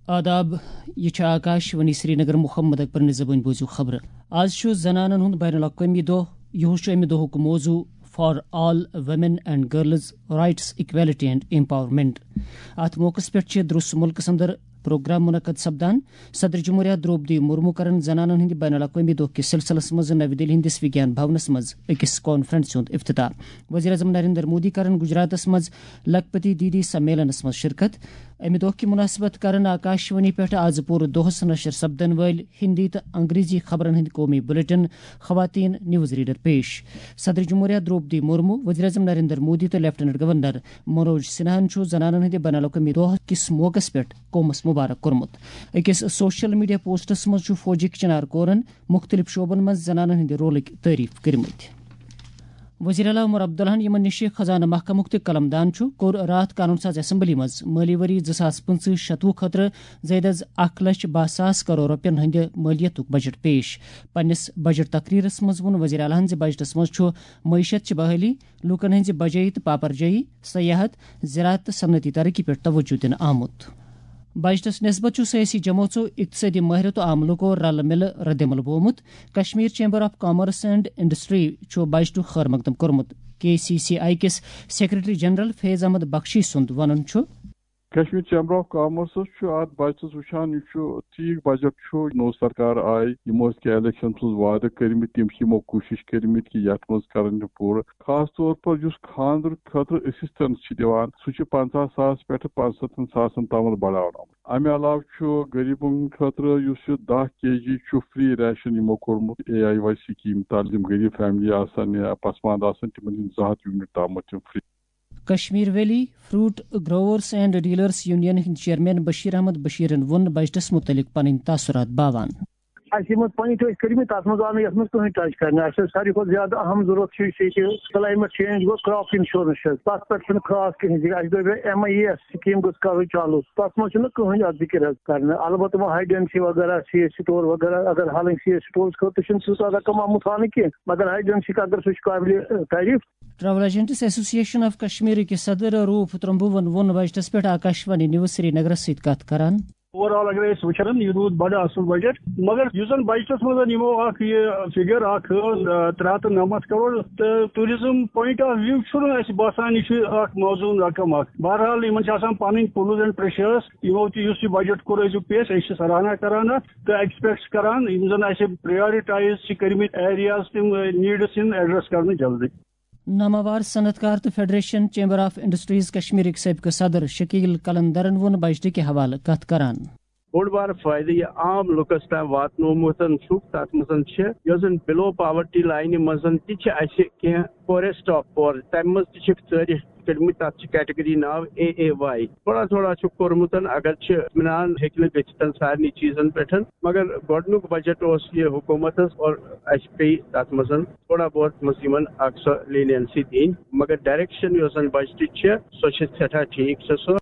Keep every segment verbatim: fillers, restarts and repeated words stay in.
آداب، یہِ چھِ آکاش وانی سرینگر۔ محمد اکبرن زبٲنۍ بوٗزِو خبرٕ۔ آز چھُ زنانن ہُنٛد بین الاقوٲمی دۄہ۔ یِہُس چھُ اَمہِ دۄہُک موضوع for all women and girls rights, equality and empowerment. اتھ موقعس پٮ۪ٹھ چھِ درس مُلکس اندر پروگرام منعقد سپدان۔ صدر جمہوریہ درٛوپدی مرمو کرن زنانن ہٕنٛدِ بین الاقوٲمی دۄہ کِس سلسلس منٛز نَوِ دِلہِ ہٕنٛدِس وگیان بھونس منٛز أکِس کانفرنس ہُنٛد افتتاح۔ وزیر اعظم نریندر مودی کرن گجراتس منٛز لکھپتی دیدی سمیلنس منٛز شرکت۔ امہِ دۄہ کہِ مناسبت کرن آکاشوانی پٮ۪ٹھ آز پوٗرٕ دۄہس نشر سپدن وٲلۍ ہندی تہٕ انگریزی خبرن ہٕنٛدۍ قومی بلیٹن خواتین نیوز ریڈر پیش۔ صدر جمہوریہ درٛوپدی مرمو، وزیر اعظم نریندر مودی تہٕ لیفٹیننٹ گورنر منوج سنہاہن چھُ زنانن ہٕنٛدِ بین الاقوٲمی دۄہ کِس موقعس پٮ۪ٹھ قومس مبارک کوٚرمُت۔ أکِس سوشل میڈیا پوسٹس منٛز چھُ فوجٕکۍ چنار کورن مُختٔلِف شعبن منٛز زنانن ہٕنٛدِ رولٕکۍ تعریف کٔرمٕتۍ۔ وزیر اعلیٰ عمر عبداللہن، یِمن نِش خزانہٕ محکمُک تہِ قلم دان چھُ، کوٚر راتھ قانون ساز اسمبلی منٛز مٲلی ؤری زٕ ساس پٕنٛژٕہ شتوُہ خٲطرٕ زائد از اکھ لچھ باہ ساس کرور رۄپین ہٕنٛدِ مٲلیتُک بجٹ پیش۔ پننِس بجٹ تقریرس منٛز ووٚن وزیر اعلیٰ ہن زِ بجٹس منٛز چھُ معیشت چہِ بحالی، لوٗکن ہٕنٛزِ بجٲیی تہٕ پاپرجٲیی، سیاحت، زراعت تہٕ صنعتی ترقی پٮ۪ٹھ توجہ دِنہٕ آمُت۔ بجٹس نسبت چھُ سیٲسی جمٲژو، اقتصٲدی مٲہرو تہٕ عام لوٗکو رلہٕ مِلہٕ ردعمل بومُت۔ Kashmir chamber of commerce and industry چھُ بجٹُک خٲر مقدم کوٚرمُت۔ کے سی سی آئی کِس سیکرٹری جنرل فیض احمد بخشی سُنٛد وَنُن چھُ۔ کشمیر چیمبر آف کامرسس چھُ اتھ بجٹس وٕچھان، یہِ چھُ ٹھیٖک بجٹ چھُ۔ نوٚو سرکار آیہِ، یِمو ٲسۍ کینٛہہ الیکشن منٛز وعدٕ کٔرمٕتۍ، تِم چھِ یِمو کوٗشش کٔرمٕتۍ کہِ یتھ منٛز کرن یِم پوٗرٕ۔ خاص طور پر یُس خاندر خٲطرٕ اسسٹنس چھِ دِوان، سُہ چھُ پنٛژاہ ساس پٮ۪ٹھٕ پانٛژترٕٛہن ساسن تامتھ بڑاونہٕ آمُت۔ امہِ علاوٕ چھُ غریبن خٲطرٕ یُس یہِ دَہ کے جی چھُ فری ریشن یِمو کوٚرمُت اے آئی واے سکیٖم تحت، یِم غریب فیملی آسن یا پسماندٕ آسن، تِمن چھِ زٕ ہتھ یونٹ تامتھ یِم free. Kashmir valley fruit growers and dealers union ہٕنٛدۍ چیئرمین بشیر احمد بشیرن ووٚن بجٹس متعلق پنٕنۍ تاثرات باوان۔ اَسہِ یِم پوینٹ ٲسۍ کٔرمٕتۍ، تَتھ منٛز آو نہٕ یَتھ منٛز کٕہٕنۍ ٹچ کرنہٕ۔ اَسہِ ٲس ساروی کھۄتہٕ زیادٕ اَہَم ضروٗرت چھِ یُس ییٚتہِ کلایمیٹ چینج گوٚو، کراپ انشورنس چھِ اَسہِ، تَتھ پٮ۪ٹھ چھُنہٕ خاص کِہیٖنۍ ذِکر۔ اَسہِ دوٚپ M I A S scheme گٔژھ کَرٕنۍ چالوٗ، تَتھ منٛز چھُنہٕ کٕہٕنۍ اَتھ ذِکر حظ کرنہٕ۔ البتہ وۄنۍ ہاے ڈینسٹی وغیرہ، سی ایس سٹور وغیرہ، اگر ہالٕنۍ سی ایس سٹورس خٲطرٕ چھُنہٕ تیوٗتاہ رقم آمُت ہاونہٕ کینٛہہ، مگر ہاے ڈینسٹی اگر سُہ چھُ قابلِ تعریف۔ ٹریول ایجنٹس ایسوسی ایشن آف کشمیر کِس صدر روٗف ترمبوہن ووٚن بجٹس پٮ۪ٹھ آکاشوانی نیوز سرینگرس سۭتۍ کتھ کران۔ اوور آل اگر أسۍ وٕچھان، یہِ روٗد بڑٕ اصل بجٹ، مگر یُس زن بجٹس منٛز یِمو اکھ یہِ فگر اکھ، آ، ترٛےٚ ہتھ تہٕ نَمَتھ کرور، تہٕ ٹوٗرزم پوینٹ آف ویو چھُنہٕ اَسہِ باسان یہِ چھُ اکھ موزوٗن رقم اکھ۔ بہرحال، یِمن چھِ آسان پنٕنۍ پُلز اینڈ پریشرز۔ یِمو تہِ یُس یہِ بجٹ کوٚر أزیُک پیش، أسۍ چھِ سراہنا کران اتھ تہٕ ایکسپیکٹ چھِ کران یِم زن اَسہِ پرایورٹایز چھِ کٔرمٕتۍ ایریاز، تِم نیڈس یِن ایڈریس کرنہٕ جلدی۔ ناماوار صنعت کار تہٕ فیڈریشن چیمبر آف انڈسٹریز کشمیرٕکۍ سٲبقہٕ صدر شکیل قلندرن ووٚن بجٹہٕ کہِ حوالہٕ کتھ کران۔ بوٚڑ بار فٲیدٕ یہِ عام لُکس تام واتنومُت چھُکھ، تتھ منٛز چھِ یۄس زن بِلو پاورٹی لاینہِ منٛز تہِ چھِ اَسہِ کینٛہہ پورسٹ آف پور، تمہِ منٛز تہِ چھِ ژٲرِتھ کٔرمٕتۍ، تتھ چھِ کیٹگری ناو اے اے واے۔ تھوڑا تھوڑا چھُ کوٚرمُت، اگر چھِ اطمینان ہیٚکہِ نہٕ گٔژھِتھ سارنٕے چیٖزن پٮ۪ٹھ، مگر گۄڈٕنیُک بجٹ اوس یہِ حکوٗمتس اور اَسہِ پیٚیہِ تتھ منٛز تھوڑا بہت منٛز یِمن اکھ سۄ لینینسی دِنۍ، مگر ڈائریکشن یۄس زن بجٹٕچ چھِ، سۄ چھِ سٮ۪ٹھاہ ٹھیٖک چھِ سۄ۔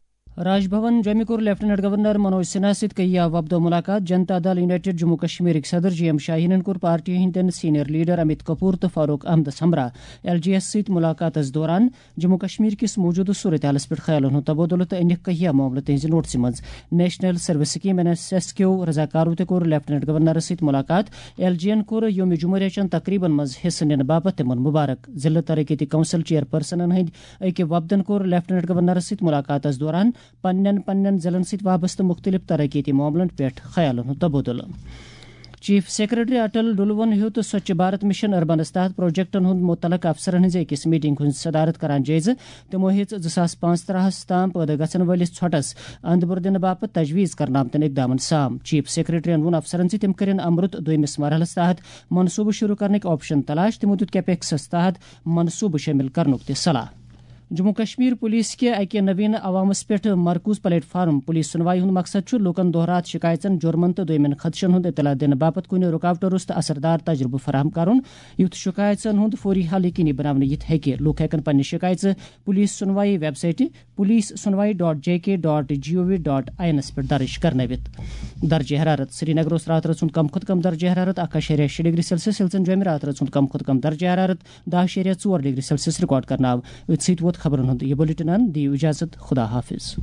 راج بھون جوٚمہِ کوٚر لیفٹیننٹ گورنر منوج سنہا سۭتۍ کیہ وفدو ملاقات۔ جنتا دل یونائیٹڈ جموں کشمیرٕکۍ صدر جی ایم شاہینن کوٚر پارٹی ہٕنٛدٮ۪ن سینئر لیڈر امیت کپور تہٕ فاروق احمدس ہمراہ ایل جی ایس سۭتۍ ملاقاتس دوران جموں کشمیر کِس موجودٕ صورتحالس پٮ۪ٹھ خیالن ہُنٛد تبادلہٕ تہٕ أنِکھ کیہ معاملہٕ تِہنٛزِ نوٹسہِ منٛز۔ National service scheme N S S کیو رضاکارو تہِ کوٚر لیفٹیننٹ گورنرس سۭتۍ ملاقات۔ ایل جی این کوٚر یوم جمہوریہ چٮ۪ن تقریبن منٛز حصہٕ نِنہٕ باپتھ تِمن مبارک۔ ضلعہٕ ترقیتی کونسل چیئرپرسنن ہٕنٛدۍ أکۍ وفدن کوٚر لیفٹیننٹ گورنرس سۭتۍ ملاقاتس دوران پننٮ۪ن پننٮ۪ن ضلعن سۭتۍ وابستہٕ مُختٔلِف ترقیتی معاملن پٮ۪ٹھ خیالن ہُنٛد تبادلہٕ۔ چیف سیکرٹری اٹل ڈلوَن ہیوٚت سوچھ بھارت مشن اربنس تحت پروجیکٹن ہُنٛد مُتعلق افسرن ہٕنٛزِ أکِس میٹنگ ہُنٛد صدارت کران جٲیزٕ۔ تِمو ہیٚژ زٕ ساس پانٛژترٕٛہس تام پٲدٕ گژھن وٲلِس ژھۄٹس اندٕ بُر دِنہٕ باپتھ تجویز کرنہٕ آمتٮ۪ن اقدامن سام۔ چیف سیکرٹریَن ووٚن افسرن زِ تِم کٔرِن امرُت دوٚیمِس مرحلس تحت منصوبہٕ شروع کرنٕکۍ آپشن تلاش۔ تِمو دیُت کیپیکسس تحت منصوبہٕ شٲمِل کرنُک تہِ صلاح۔ جموں کشمیر پولیس کہِ اکہِ نوین عوامس پٮ۪ٹھ مرکوز پلیٹ فارم پولیس سُنوائی ہُنٛد مقصد چھُ لوٗکن دۄہ راتھ شکایژن، جُرمن تہٕ دوٚیمٮ۪ن خدشن ہُنٛد اطلاع دِنہٕ باپتھ کُنہِ رُکاوٹہٕ روٚس تہٕ اثردار تجربہٕ فراہم کرُن، یُتھ شکایژن ہُنٛد فوری حل یقینی بناونہٕ یِتھ ہیٚکہِ۔ لوٗکھ ہٮ۪کن پننہِ شکایژٕ پولیس سُنوائی ویب سائٹہِ police Sunwai dot J K dot G O V dot I اینس پٮ۪ٹھ درٕج کرنٲوِتھ۔ درجہ حرارت۔ سرینگر اوس راتہٕ رٲژ ہُنٛد کم کھۄتہٕ کم درجہ حرارت اکھ اَشاریہ شےٚ ڈگری سیلسیس، ییٚلہِ زن جوٚمہِ راتہٕ رٲژ ہُنٛد کم کھۄتہٕ کم درجہ حرارت دَہ اَشاریہ ژور ڈگری سیلسیس ریکارڈ کرنہٕ آو۔ أتھۍ سۭتۍ ووت خبرن ہُنٛد یہِ بلیٹن اند۔ دِیِو اجازت، خدا حافظ۔